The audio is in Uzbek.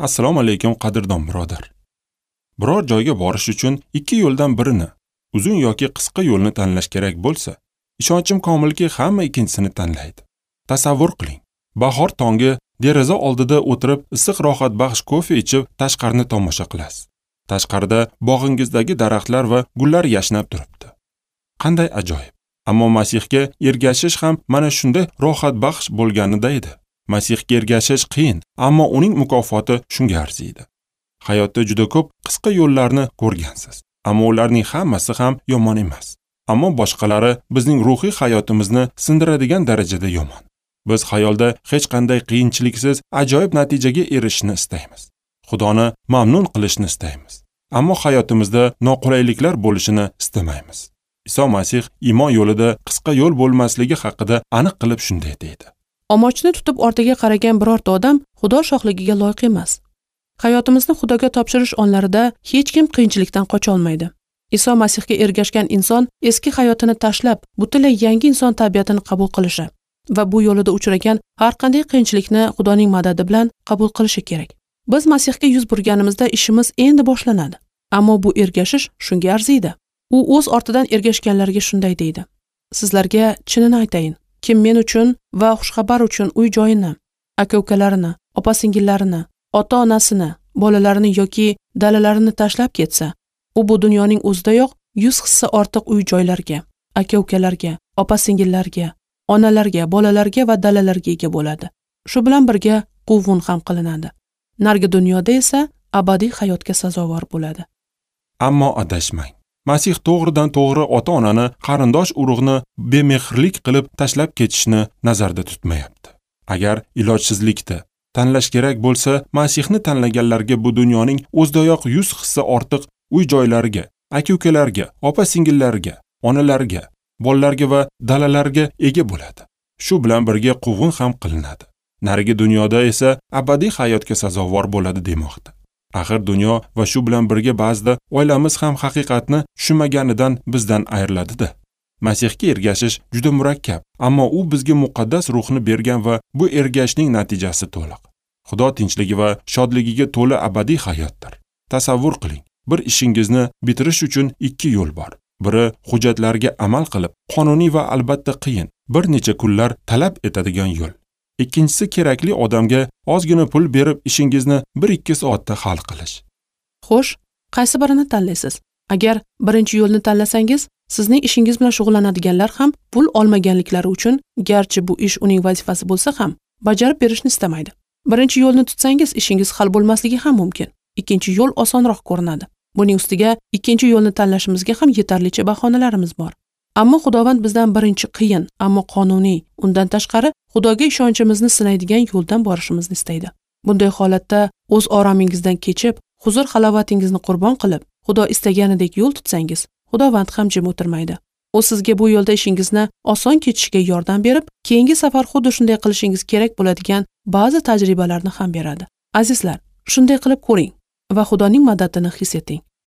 Assalomu alaykum, qadrdon birodar. Biror joyga borish uchun ikki yo'ldan birini, uzun yoki qisqa yo'lni tanlash kerak bo'lsa, ishonchim komilki, hamma ikkinchisini tanlaydi. Tasavvur qiling. Bahor tongi deraza oldida o'tirib, issiq rohatbaxsh kofe ichib, tashqarini tomosha qilasiz. Tashqarida bog'ingizdagi daraxtlar va gullar yashnab turibdi. Qanday ajoyib. Ammo Masihga ergashish ham mana shunday rohatbaxsh bo'lganida edi. Masihga ergashish qiyin, ammo uning mukofoti shunga arziydi. Hayotda juda ko'p qisqa yo'llarni ko'rgansiz, ammo ularning hammasi ham yomon emas. Ammo boshqalari bizning ruhiy hayotimizni sindiradigan darajada yomon. Biz xayolda hech qanday qiyinchiliksiz ajoyib natijaga erishishni istaymiz. Xudoni mamnun qilishni istaymiz. Ammo hayotimizda noqulayliklar bo'lishini istamaymiz. Iso Masih iymon yo'lida qisqa yo'l bo'lmasligi haqida aniq qilib shunday deydi. Omochni tutib ortiga qaragan birorta odam Xudo shohligiga loyiq emas. Hayotimizni Xudoga topshirish onlarida hech kim qiyinchilikdan qocha olmaydi. Iso Masihga ergashgan inson eski hayotini tashlab, butunlay yangi inson tabiatini qabul qilishi va bu yo'lida uchragan har qanday qiyinchilikni Xudoning madadi bilan qabul qilishi kerak. Biz Masihga yuz burganimizda ishimiz endi boshlanadi. Ammo bu ergashish shunga arziydi. U o'z ortidan ergashganlarga shunday deydi: Sizlarga chinini aytayin, kim men uchun va xushxabar uchun uy joyini, aka-ukalarini, opa-singillarini, ota-onasini, bolalarini yoki dalalarini tashlab ketsa, u bu dunyoning o'zidayoq 100 hissa ortiq uy joylarga, aka-ukalarga, opa-singillarga, onalarga, bolalarga va dalalarga ega bo'ladi. Shu bilan birga quvg'in ham qilinadi. Nargi dunyoda esa abadiy hayotga sazovor bo'ladi. Ammo adashmang. Masih to'g'ridan to'g'ri ota-onani, qarindosh urug'ni bemehrlik qilib tashlab ketishni nazarda tutmayapti. Agar ilojsizlikda tanlash kerak bo'lsa, Masihni tanlaganlarga bu dunyoning o'zidayoq 100 hissa ortiq uy joylariga, aka-ukalarga, opa-singillarga, onalarga, bolalarga va dalalarga ega bo'ladi. Shu bilan birga quvg'in ham qilinadi. Narigi dunyoda esa abadiy hayotga sazovor bo'ladi demoqda. Axir dunyo va shu bilan birga ba'zida oilamiz ham haqiqatni tushunmaganidan bizdan ayriladi-da. Masihga ergashish juda murakkab, ammo u bizga muqaddas ruhni bergan va bu ergashishning natijasi to'liq. Xudo tinchligi va shodligiga to'la abadiy hayotdir. Tasavvur qiling, bir ishingizni bitirish uchun ikki yo'l bor. Biri hujjatlarga amal qilib, qonuniy va albatta qiyin, bir necha kunlar talab etadigan yo'l. Ikkinchisi kerakli odamga ozgina pul berib ishingizni 1-2 soatda hal qilish. Xo'sh, qaysi birini tanlaysiz? Agar birinchi yo'lni tanlasangiz, sizning ishingiz bilan shug'ullanadiganlar ham pul olmaganliklari uchun, garchi bu ish uning vazifasi bo'lsa ham, bajarib berishni istamaydi. Birinchi yo'lni tutsangiz, ishingiz hal bo'lmasligi ham mumkin. Ikkinchi yo'l osonroq ko'rinadi. Buning ustiga ikkinchi yo'lni tanlashimizga ham yetarlicha bahonalarimiz bor. Ammo Xudovand bizdan birinchi qiyin, ammo qonuniy, undan tashqari Xudoga ishonchimizni sinaydigan yo'ldan borishimizni istaydi. Bunday holatda o'z oromingizdan kechib, huzur halovatingizni qurbon qilib, Xudo istaganidek yo'l tutsangiz, Xudovand ham jim o'tirmaydi. U sizga bu yo'lda ishingizni oson kechishiga yordam berib, keyingi safar xuddi shunday qilishingiz kerak bo'ladigan ba'zi tajribalarni ham beradi. Azizlar, shunday qilib ko'ring va Xudoning madadini his eting.